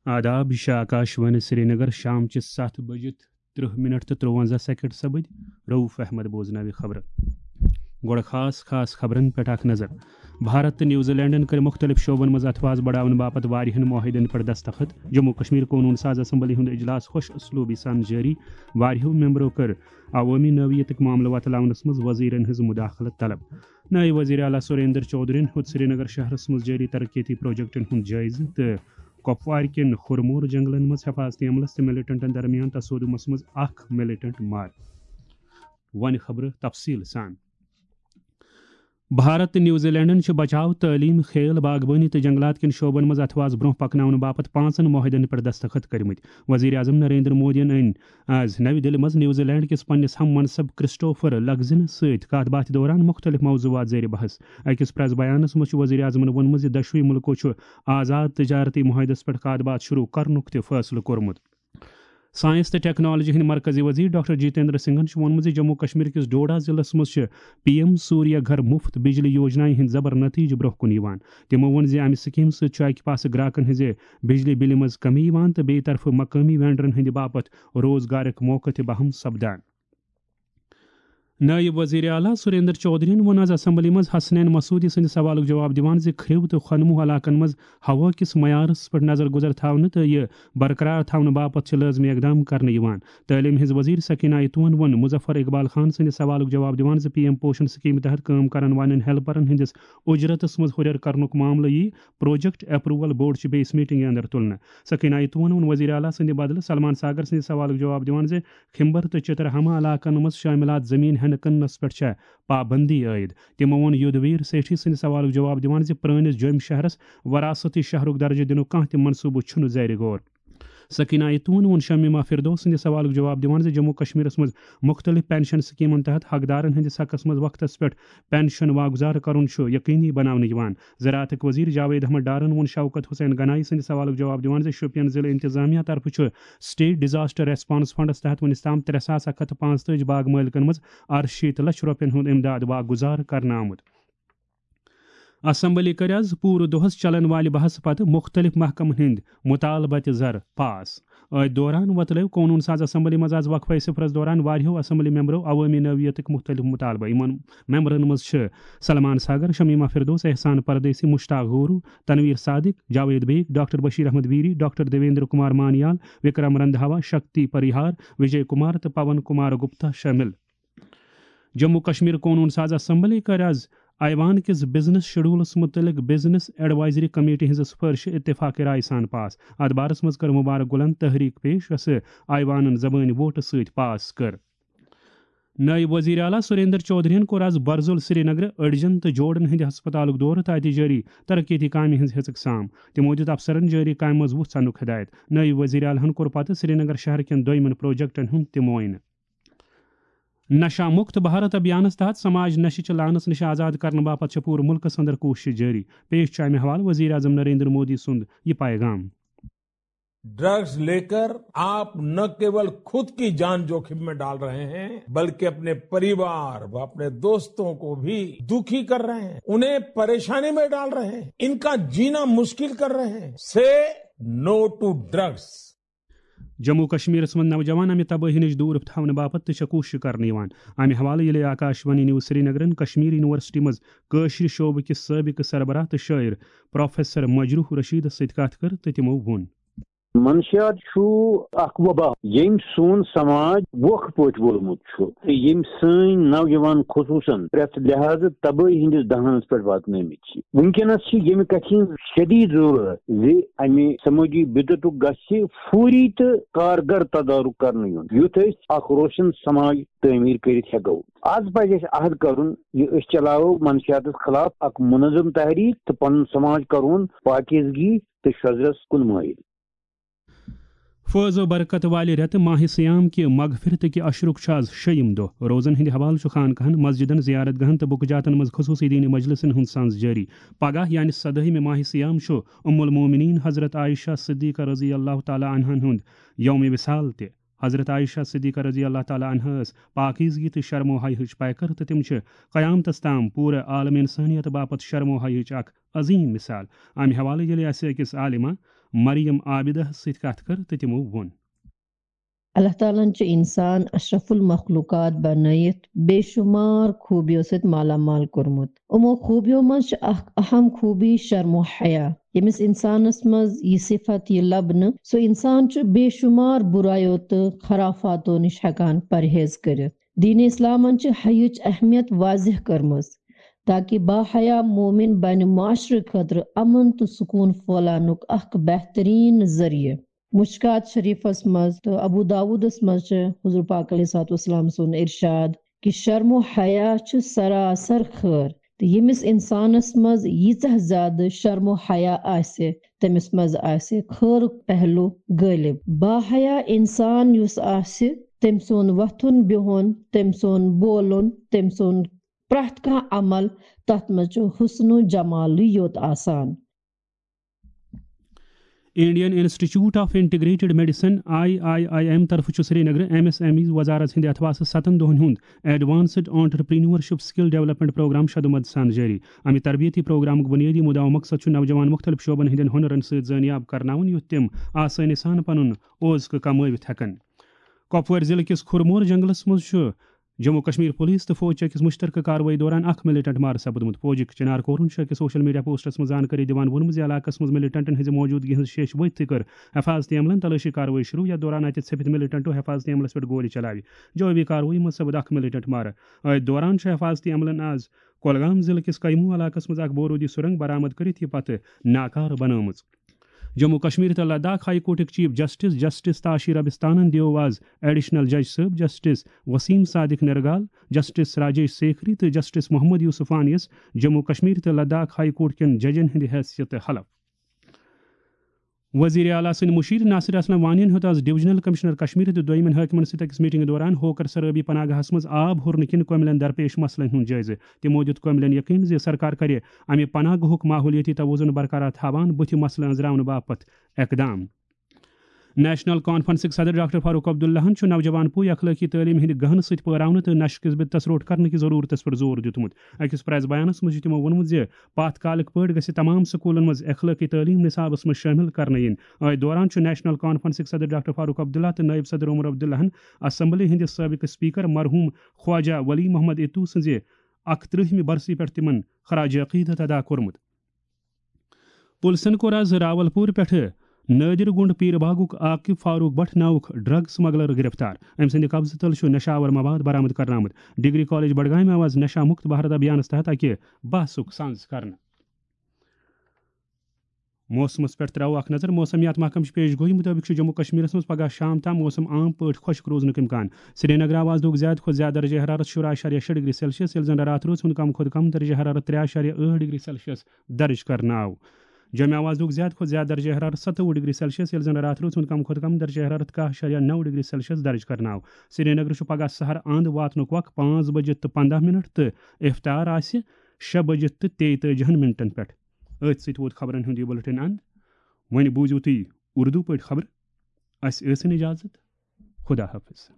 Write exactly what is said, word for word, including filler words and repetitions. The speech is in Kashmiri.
آداب، یہِ چھِ آکاش وانی سرینگر، شام چہِ ستھ بجہِ ترٕہ منٹ تہٕ ترُونزہ سیکنڈ سپٕدۍ۔ رؤف احمد بوزناوِ خبرٕ۔ گۄڈٕ خاص خاص خبرن پٮ۪ٹھ اکھ نظر۔ بھارت تہٕ نیوزی لینڈن کٔرۍ مُختٔلِف شعبن منٛز اتھٕ واس بڑاونہٕ باپتھ واریاہن معاہدن پٮ۪ٹھ دستخط۔ جموں کشمیر قونوٗن ساز اسمبلی ہُنٛد اجلاس خۄش اسلوبی سان جٲری۔ واریاہو ممبرو کٔر عوٲمی نوعیتٕکۍ معاملہٕ وۄتلاونس منٛز وزیرن ہٕنٛز مداخلت طلب۔ نٲیِب وزیر اعلیٰ سریندر چودھرین ہیوٚت سرینگر شہرس منٛز جٲری ترقیتی پروجیکٹن ہُنٛد جٲیزٕ تہٕ کۄپوارِ کٮ۪ن خُرمور جنگلن منٛز حفاظتی عملس تہٕ ملیٹنٹن درمیان تصادمس منٛز اکھ ملیٹنٹ مارٕ۔ وۄنۍ خبرٕ تفصیٖل سان۔ بھارت تہٕ نیوزی لینڈن چھِ بچاو، تعلیٖم، کھیل، باغبٲنی تہٕ جنگلات کٮ۪ن شعبن منٛز اتھٕ واس برونٛہہ پکناونہٕ باپتھ پانٛژن معاہدن پٮ۪ٹھ دستخط کٔرمٕتۍ۔ وزیر اعظم نریندر مودیَن أنۍ آز نَوِ دِلہِ منٛز نیوزی لینڈ کِس پننِس ہم منصب کرسٹوفر لگزنس سۭتۍ کتھ باتھِ دوران مُختٔلِف موضوعات زیر بحث۔ أکِس پریس بیانس منٛز چھُ وزیر اعظمَن ووٚنمُت زِ دۄشوٕے مُلکو چھُ آزاد تجارتی معاہدس پٮ۪ٹھ کتھ باتھ شروع کرنُک تہِ فٲصلہٕ کوٚرمُت۔ ساینس تہٕ ٹیکنالوجی ہٕنٛدۍ مرکزی وزیر ڈاکٹر جتیندر سنگھن چھُ ووٚنمُت زِ جموں کشمیر کِس ڈوڈا ضلعس منٛز چھِ پی ایم سوریہ گھر مفت بجلی یوجنایہِ ہٕنٛدۍ زبر نتیجہٕ برونٛہہ کُن یِوان۔ تِمو ووٚن زِ امہِ سکیمہٕ سۭتۍ چھُ اکہِ پاسہٕ گراکن ہٕنٛزِ بجلی بلہِ منٛز کمی یِوان تہٕ بیٚیہِ طرفہٕ مقٲمی وینڈرن ہٕنٛدِ باپتھ روزگارٕکۍ موقعہٕ تہِ بہم سپدان۔ نٲیِب وزیر اعلیٰ سریندر چودھرین ووٚن آز اسمبلی منٛز حسنین مسعودی سٕنٛدِ سوالُک جواب دِوان زِ کھرٛو تہٕ خۄنموٗ علاقن منٛز ہوا کِس معیارس پٮ۪ٹھ نظر گُزر تھاونہٕ تہٕ یہِ برقرار تھاونہٕ باپتھ چھِ لٲزمی اقدام کرنہٕ یِوان۔ تعلیٖم ہٕنٛز وزیر سکینہ ایتوہن ووٚن مظفر اقبال خان سٕنٛدِ سوالُک جواب دِوان زِ پی ایم پوشن سکیمہِ تحت کٲم کرن والٮ۪ن ہیلپرن ہٕنٛدِس اجرتس منٛز ہُرٮ۪ر کرنُک معاملہٕ یِیہِ پروجیکٹ اپروول بورڈ چہِ بیٚیِس میٹنگہِ اندر تُلنہٕ۔ سکینہ ایتوہن ووٚن وزیر اعلیٰ سٕنٛدِ بدلہٕ سلمان ساگر سٕنٛدِ سوالُک جواب دِوان زِ کھمبر تہٕ چترہاما علاقن منٛز شٲمِلات زٔمیٖن ہٮ۪نہٕ کٕننس پٮ۪ٹھ چھےٚ پابندی عٲید۔ تِمو ووٚن یودھ ویر سیٹھی سٕنٛدِ سوالُک جواب دِوان زِ پرٲنِس جوٚمۍ شہرس وراثتی شہرُک درجہٕ دِنُک کانٛہہ تہِ منصوٗبہٕ چھُنہٕ زیر غور۔ سکینہ ایتون ووٚن شمیمہ فردوس سٕنٛدِ سوالُک جواب دِوان زِ جموں کشمیرس منٛز مُختٔلِف پینشن سکیمن تحت حقدارن ہٕنٛدِس حقس منٛز وقتس پٮ۪ٹھ پینشن واگزار کرُن چھُ یقینی بناونہٕ یِوان۔ زراعتٕکۍ وزیر جاوید احمد ڈارن ووٚن شوکت حسین گنایی سٕنٛدِ سوالُک جواب دِوان زِ شوپین ضلعہٕ انتظامیہ طرفہٕ چھُ سٹیٹ ڈیزاسٹر ریسپانس فنڈس تحت وُنیُس تام ترٛےٚ ساس اکھ ہتھ تہٕ پانٛژتٲجی باغ مٲلکن منٛز ارشیٖتھ لچھ رۄپین ہُنٛد امداد واگزار کرنہٕ آمُت۔ اسمبلی کٔر آز پوٗرٕ دۄہس چلن والہِ بحثہٕ پتہٕ مُختٔلِف محکمن ہٕنٛدۍ مُطالبہٕ تہِ زر پاس۔ أتھۍ دوران وۄتلٲو قونوٗن ساز اسمبلی منٛز آز وقفہٕ صفرس دوران واریاہو اسمبلی ممبرو عوٲمی نوعیتٕکۍ مُختٔلِف مُطالبہٕ۔ یِمن ممبرن منٛز چھِ سلمان ساگر، شمیمہ فردوس، احسان پردیسی، مشتاق غورو، تنویر صادق، جاوید بیگ، ڈاکٹر بشیر احمد ویری، ڈاکٹر دیویندر کمار مانیال، وکرم رندھاوا، شکتی پریہار، وجے کمار تہٕ پون کمار گپتا شٲمِل۔ جموں کشمیر قونوٗن ساز اسمبلی کٔر آز ایوان کِس بزنس شیڈولس مُتعلق بزنس ایڈوائزری کمیٹی ہٕنٛزِ سفٲرشہِ اتفاق رائے سان پاس۔ اتھ بارس منٛز کٔر مبارک گلن تحریک پیش، یۄسہٕ ایوانن زبٲنۍ ووٹہٕ سۭتۍ پاس کٔر۔ نٲیِب وزیر اعلیٰ سریندر چودھرین کوٚر آز برزُل سرینگرٕ أڈجن تہٕ جوڑن ہٕنٛدِ ہسپتالُک دورٕ تہٕ اتہِ جٲری ترقیتی کامہِ ہٕنٛز ہیژٕک سام۔ تِمو دِیُت افسرن جٲری کامہِ منٛز وُژھ انُک ہدایت۔ نٲیِب وزیر اعلیٰ ہن کوٚر پتہٕ سرینگر شہر کٮ۪ن دوٚیمٮ۪ن پروجیکٹن ہُنٛد تہِ معائنہٕ۔ نشہ مکت بھارت ابھیانس تحت سماج نشہِ چہِ لعنس نِش آزاد کرنہٕ باپتھ چھےٚ پوٗرٕ مُلکس اندر کوٗشش جٲری۔ پیش چھُ امہِ حوالہٕ وزیر اعظم نریندر مودی سُنٛد یہِ پیغام۔ ड्रग्स लेकर आप न केवल खुद की जान जोखिम में डाल रहे हैं, बल्कि अपने परिवार व अपने दोस्तों को भी दुखी कर रहे हैं, उन्हें परेशानी में डाल रहे हैं, इनका जीना मुश्किल कर रहे हैं। से नो टू ड्रग्स। جموں کشمیرس منٛز نوجوان امہِ تبٲہی نِش دوٗر تھاونہٕ باپتھ تہِ چھےٚ کوٗشش کرنہٕ یِوان۔ امہِ حوالہٕ ییٚلہِ آکاش وانی نیوز سرینگرن کشمیر یونیورسٹی منٛز کٲشرِ شعبہٕ کِس سٲبقہٕ سربراہ تہٕ شٲعر پروفیسر مجروح رشیدس سۭتۍ کتھ کٔر تہٕ تِمو ووٚن۔ منشیات چھُ اکھ وبا، ییٚمۍ سون سماج ووکھٕ پٲٹھۍ وولمُت چھُ تہٕ ییٚمۍ سٲنۍ نوجوان خصوٗصن پرٛٮ۪تھ لحاظہٕ تبٲہی ہٕنٛدِس دہانس پٮ۪ٹھ واتنٲومٕتۍ چھِ۔ وٕنکیٚنس چھِ ییٚمہِ کتھِ ہٕنٛز شدید ضرورت زِ امہِ سمٲجی بدعتُک گژھِ فوری تہٕ کارگر تدارک کرنہٕ یُن، یُتھ أسۍ اکھ روشن سماج تعمیٖر کٔرِتھ ہٮ۪کو۔ از پزِ اسہِ عہد کرُن زِ أسۍ چلاوو منشیاتس خلاف اکھ منظم تحریک تہٕ پنُن سماج کرون پاکیزگی تہٕ شۄذرس کُن مٲیِل۔ فٲض و برکت والہِ رٮ۪تہٕ ماہِ صیام کہِ مغفرتہٕ کہِ عشرُک چھُ آز شیٚیِم دۄہ۔ روزن ہٕنٛدِ حوالہٕ چھُ خانقاہن، مسجدن، زیارت گاہن تہٕ بُکہٕ جاتن منٛز خصوٗصی دینی مجلسن ہُنٛد سنز جٲری۔ پگاہ یعنی سدٲہمہِ ماہِ صیام چھُ ام المومنین حضرت عائشہ صدیقہ رضی اللہ تعالیٰ عنہن ہُنٛد یوم وصال تہِ۔ حضرت عائشہ صدیقہ رضی اللہ تعالیٰ عنہا ٲس پاکیزگی تہٕ شرم و حیاہٕچ پیکر، تہٕ تِم چھِ قیامتس تام پوٗرٕ عالم انسانیت باپتھ شرم و حیاہٕچ اکھ عظیم مثال۔ امہِ حوالہٕ ییٚلہِ اسہِ أکِس عالمہ مریم عابدہ سۭتۍ کتھ کٔر تہٕ تِمو ووٚن۔ اللہ تعالیٰ ہن چھُ انسان اشرف المخلوقات بنٲیِتھ بے شمار خوٗبیو سۭتۍ مالا مال کوٚرمُت۔ یِمو خوٗبیو منٛز چھِ اکھ اہم خوٗبی شرم و حیا۔ ییٚمِس انسانس منٛز یہِ صفت یہِ لبنہٕ، سُہ انسان چھُ بے شمار برایو تہٕ خرافاتو نِش ہٮ۪کان پرہیز کٔرِتھ۔ دین اسلامن چھِ حیٕچ اہمیت واضح کٔرمٕژ، تاکہ باحیا مومن بنہِ معاشرٕ خٲطرٕ امن تہٕ سکوٗن پھٲلاونُک اکھ بہترین ذٔریعہٕ۔ مشکات شریفس منٛز تہٕ ابو داودس منٛز چھِ حضور پاک علیہ الصلوۃ والسلام سُنٛد ارشاد کہِ شرم و حیا چھُ سراسر خٲر، تہٕ ییٚمِس انسانس منٛز ییٖژاہ زیادٕ شرم و حیا آسہِ، تٔمِس منٛز آسہِ خٲرُک پہلو غٲلب۔ باحیا انسان یُس آسہِ، تٔمۍ سُنٛد وۄتھُن بِہُن، تٔمۍ سُنٛد بولُن، تٔمۍ سُنٛد پرٛٮ۪تھ کانٛہہ عمل، تتھ منٛز چھُ حسن و جمالٕے یوت آسان۔ Indian Institute of Integrated Medicine I I I M طرفہٕ چھُ سرینگرٕ ایم ایس ایم ای وزارت ہٕنٛدِ اتھواسہٕ ستن دۄہن ہُنٛد ایڈوانسڈ آنٹرپرینیورشپ سکل ڈیولپمنٹ پروگرام شدومد سان جٲری۔ امہِ تربیتی پروگرامُک بنیٲدی مُدعا و مقصد چھُ نوجوان مُختلف شعبن ہٕنٛدٮ۪ن ہُنرن سۭتۍ زٲنیاب کرناوُن، یُتھ تِم آسٲنی سان پنُن اوزکہٕ کمٲوِتھ ہٮ۪کن۔ کۄپوٲرۍ ضلعہٕ کِس کھُرمور جنگلس منٛز چھُ جموں کشمیر پولیس تہٕ فوج چہِ أکِس مُشترکہٕ کاروٲیی دوران اکھ ملیٹنٹ مارٕ سپدمُت۔ فوجٕکۍ چنار کورن چھُ أکِس سوشل میڈیا پوسٹس منٛز زانکٲری دِوان ووٚنمُت زِ علاقس منٛز ملیٹنٹن ہٕنٛزِ موجودگی ہٕنٛز شیش وٲتتھٕے کٔر حفاظتی عملن تلٲشی کاروٲیی شروع، یتھ دوران اتہِ ژھپِتۍ ملیٹنٹو حفاظتی عملس پٮ۪ٹھ گولہِ چلایہِ۔ جوابی کاروٲیی منٛز سپد اکھ ملیٹنٹ مارٕ۔ أتھۍ دوران چھُ حفاظتی عملن آز کۄلگام ضلعہٕ کِس کیمو علاقس منٛز اکھ بارودی سرنگ برآمد کٔرِتھ یہِ پتہٕ ناکارٕ بنٲومٕژ۔ جموں کشمیر تہٕ لداخ ہائی کورٹٕکۍ چیف جسٹس جسٹس تاشی ربستانن دیو آز ایڈیشنل جج صٲب جسٹس وسیم صادق نرگال، جسٹس راجیش سیکھری تہٕ جسٹس محمد یوسفانیس جموں کشمیر تہٕ لداخ ہائی کورٹ کٮ۪ن ججن ہٕنٛدِ حیثیتہٕ حلف۔ وزیر اعلیٰ سٕنٛدۍ مشیر ناصر اسلم وانین ہیوٚت آز ڈویژنل کمشنر کشمیر تہٕ دویمٮ۪ن حٲکمن سۭتۍ أکِس میٹنگہِ دوران ہوکر سرٲبی پناہ گاہس منٛز آب ہُرنہٕ کِنۍ کۄمِلٮ۪ن درپیش مسلن ہُنٛد جٲیزٕ۔ تِمو دیُت کۄمِلٮ۪ن یقین زِ سرکار کرِ امہِ پناہ گاہُک ماحولیٲتی توازن برقرار تھاوان بُتھِ مسلہٕ أنٛزراونہٕ باپتھ اقدام۔ نیشنل کانفرنسٕکۍ صدر ڈاکٹر فاروق عبداللہن چھُ نوجوان پُے اخلٲقی تعلیٖم ہٕنٛدِ گہنہٕ سۭتۍ پٲراونہٕ تہٕ نشہٕ کِس بدعتس روٚٹ کرنہٕ کہِ ضروٗرتس پٮ۪ٹھ زور دیُتمُت۔ أکِس پریس بیانس منٛز چھُ تِمو ووٚنمُت زِ پاتھ کالٕکۍ پٲٹھۍ گژھِ تمام سکوٗلن منٛز اخلٲقی تعلیٖم نصابس منٛز شٲمِل کرنہٕ یِنۍ۔ أتھۍ دوران چھُ نیشنل کانفرنسٕکۍ صدر ڈاکٹر فاروق عبداللہ تہٕ نٲیِب صدر عمر عبداللہن اسمبلی ہٕنٛدِ سٲبقہٕ اسپیکر مرحوٗم خواجہ ولی محمد اتو سٕنٛزِ اکترٕہمہِ برسی پٮ۪ٹھ تِمن خراج عقیدت ادا کوٚرمُت۔ پُلسن کوٚر آز راولپور پٮ۪ٹھٕ نٲدِر گُنٛڈ پیٖر باغُک عاقب فاروق بٹ ناوُک ڈرگ سمگلر گرفتار۔ أمۍ سٕنٛدِ قبضہٕ تل چھُ نشہٕ آور مواد برآمد کرنہٕ آمُت۔ ڈگری کالج بڈگامہِ آو آز نشہ مکت بھارت ابھیانس تحت اکہِ بحثُک سانز کرنہٕ۔ موسمس پٮ۪ٹھ ترٛاوو اکھ نظر۔ موسمیات محکمہٕ چہِ پیش گویی مُطٲبِق چھُ جموں کشمیرس منٛز پگاہ شام تام موسم عام پٲٹھۍ خۄشک روزنُک امکان۔ سرینگرٕ آو آز دۄہُک زیادٕ کھۄتہٕ زیادٕ درجہ حرارت شُراہ اعشاریہ شےٚ ڈگری سیلسیس، ییٚلہِ زن راتھ روز ہُنٛد کم کھۄتہٕ کم درجہ حرارت ترٛےٚ اعشاریہ ٲٹھ ڈگری سیلسیس درج کرنہٕ آو۔ جوٚمہِ آو آز دۄہُک زیادٕ کھۄتہٕ زیادٕ درجہ حرارت ستووُہ ڈگری سیلسیس، ییٚلہِ زن راتھ روز ہُنٛد کم کھۄتہٕ کم درجہ حرارت کاہ اعشاریہ نو ڈگری سیلسیس درج کرنہٕ آو۔ سرینگرٕ چھُ پگاہ سحر اند واتنُک وق پانٛژھ بجہِ تہٕ پنٛداہ منٹ تہٕ افطار آسہِ شےٚ بجہِ تہٕ تیٚتٲجِہن منٹن پٮ۪ٹھ۔ أتھۍ سۭتۍ ووت خبرن ہُنٛد یہِ بُلٹن اند۔ وۄنۍ بوٗزِو تُہۍ اردو پٲٹھۍ خبرٕ۔ اسہِ ٲسِن اجازت۔ خدا حافظ۔